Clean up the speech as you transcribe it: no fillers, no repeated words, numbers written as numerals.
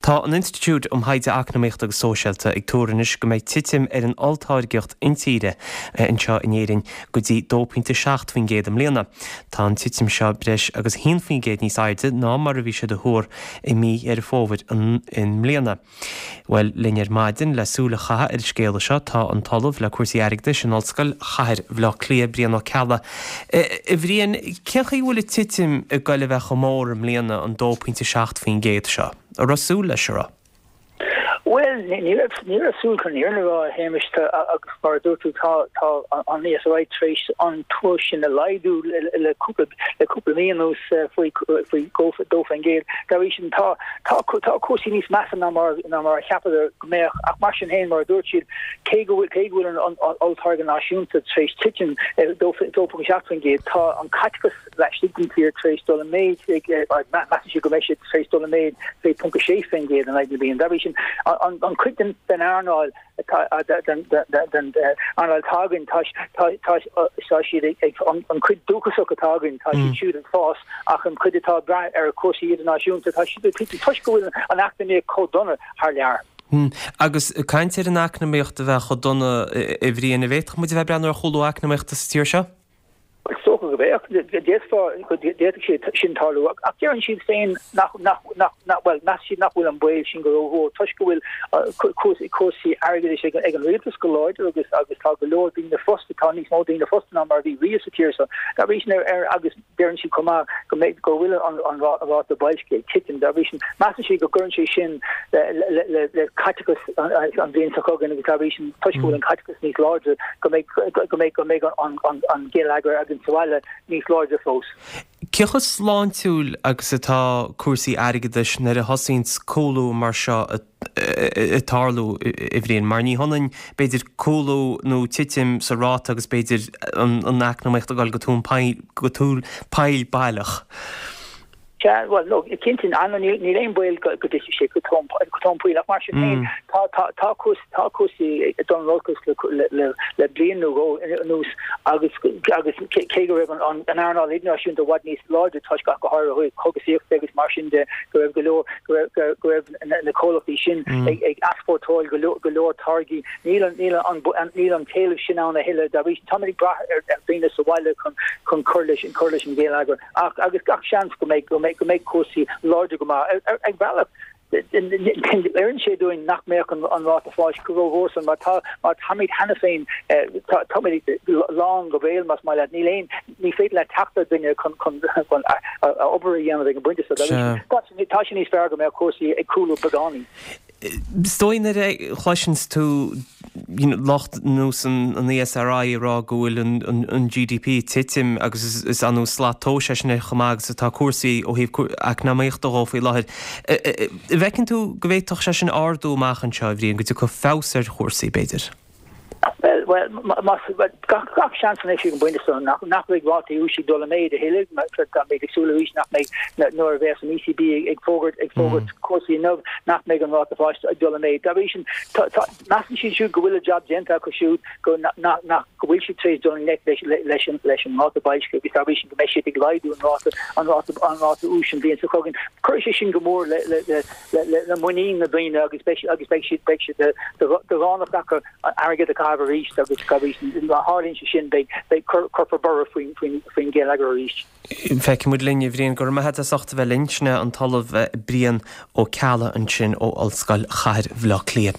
Tá an Institiúid um Thaighde Eacnamaíochta agus Sóisialta ag tuar anois go mbeidh titim ar an olltáirgeacht intíre anseo in Éirinn go dtí 2.7% i mbliana. Tá an titim seo breis agus 1% níos airde ná mar a bhí siad a thuar i mí Dheireadh Fómhair i mbliana. Bhuel, linn ar maidin le súil a chaitheamh ar an scéala seo tá an tOllamh le cúrsaí airgeadais in Ollscoil Chathair Bhaile Átha Cliath, Brian Ó Ceallaigh. A Bhriain, cén chaoi a bhfuil an titim ag goil a bheith chomh mór i mbliana, an 2.7% seo? An raibh súil leis, an raibh? Bhuel, ní raibh, ní raibh súil chun an fhírinne a rá, a Shéamais, agus mar a dúirt tú, tá, tá an ESRI tar éis an tuar sin a laghdú le cúpla, le cúpla mí anuas faoi, faoi 2%. Dá bhrí sin, tá, tá, tá cúrsaí níos measa ná mar, ná mar a cheapadar go mbeadh, ach mar sin féin, mar a dúirt siad, cé go bhfuil, cé go bhfuil an olltáirgeadh náisiúnta tar éis titim 2.7%, tá an caiteachas laistigh den tír tar éis dul i méid, measann siad go mbeidh sé tar éis dul i méid fé 0.6% in aghaidh na bliana. Dá bhrí sin, an chuid den earnáil atá den earnáil atá againn, tá siad ag an chuid dúchasach atá againn, tá siad siúd ag fás ach an chuid atá ag brath ar chúrsaí idirnáisiúnta, tá siad ag titim toisc go bhfuil an eacnamaíocht chomh dona thar lear. Agus caint ar an eacnamaíocht a bheith chomh dona, a Bhriain, an bhféadfadh muid a bheith ag breathnú ar chúlú eacnamaíochta sa tír seo? Is dócha go bhféadfadh, d'fhéadfá, go bhféadfadh sé sin tarlú, ach deireann siad féin nach, nach, nach, nach, bhuel, measann siad nach bhfuil an baol sin go rómhór toisc go bhfuil cúrsaí, cúrsaí airgeadais ag, ag an rialtas go láidir agus, agus tá go leor daoine fostaithe, tá níos mó daoine fostaithe ná mar a bhí riamh sa tír seo. Dá bhrí sin, ar, ar, agus deireann siad chomh maith go mbeidh, go bhfuil an, an ráta boilscithe ag titim. Dá bhrí sin, measann siad go gcuireann sé sin le, le, le, le caiteachas an, an bhliain seo chugainn agus dá bhrí sin, toisc go bhfuil an caiteachas níos láidre, go mbeidh, go mbeidh, go mbeidh an, an, an geilleagar againn sa bhaile níos láidre fós. Cé chomh sláintiúil agus atá cúrsaí airgeadais nuair a thosaíonns cúlú mar seo ag tarlú, a Bhriain? Mar ní hionann, b'fhéidir, cúlú nó titim sa ráta agus b'fhéidir an eacnamaíocht ag dul go tóin poill, go tóin poill baileach. Sea, bhuel, no, cinnte, níl aon baol go dtitfidh sé go tóin poill, ach mar sin féin, tá, tá, tá cúrsaí, tá cúrsaí ag dul in olcas le, le, le bliain nó dhó anuas agus, agus cé go raibh an, an, an earnáil idirnáisiúnta i bhfad níos láidre toisc ach go háirithe ó thaobh cógaisíochta agus mar sin de, go raibh go leor, go raibh, go, go raibh na, na comhlachtaí sin ag, ag easpórtáil go leor, go leor táirgí. Níl an, níl an, níl an t-éileamh sin ann a thuilleadh, dá bhrí sin táimid ag brath ar, ar dhaoine sa bhaile chun, chun cur leis, cur leis an gheilleagar. Ach agus gach seans go mbeidh, go mbeidh, go mbeidh cúrsaí láidir go maith. Ar, ar bhealach, oireann sé dúinn nach mbeadh an, an ráta fáis chomh rómhór san mar tá, mar táimid cheana féin, tá, táimid lán go béal más maith leat. Níl aon, ní féidir leat teacht ar dhuine chun, chun, chun obair a dhéanamh ag an bpointe seo. Tá sé, tá sé níos fearr go mbeadh cúrsaí ag cúlú beagáinín. Is dóigh nuair a chloiseanns tú lucht ar nós an ESRI ag rá go bhfuil an GDP ag titim agus is annamh slat tomhais é sin ar chomh maith agus atá cúrsaí ó thaobh eacnamaíochta dhó faoi láthair. An bhfeiceann tú go bhféadfadh sé sin ardú amach anseo, a Bhriain, go dtiocfadh feabhas ar chúrsaí, b'fhéidir? Bhuel, gach seans anois ag an bpointe seo nach mbeidh rátaí úis ag dul i méid a thuilleadh. Táimid ag súil arís nach mbeidh, nuair a bheas an ECB ag fógairt ag fógairt cúrsaí inniu, nach mbeidh an ráta fáis ag dul i méid. Dá bhrí sin, measann siad siúd go bhfuil a jab déanta acu siúd, go nach go bhfuil siad tar éis dul i ngleic leis an leis an ráta boilscithe agus dá bhrí sin go mbeidh siad ag laghdú an ráta an ráta an ráta úis an bhliain seo chugainn. Cuirfidh sé sin go mór le le le muinín na ndaoine agus beidh agus beidh siad beidh siad de dhánacht acu airgead a chaitheamh arís agus dá bhrí sin má tharlaíonn sé sin beidh beidh cuirfear borradh faoin faoin faoin gheilleagar arís. Feicfidh muid linn, a Bhriain. Go raibh maith agat as ucht a bheith linn. Sin é an tOllamh Brian Ó Ceallaigh ansin ó Ollscoil Chathair Bhaile Átha Cliath.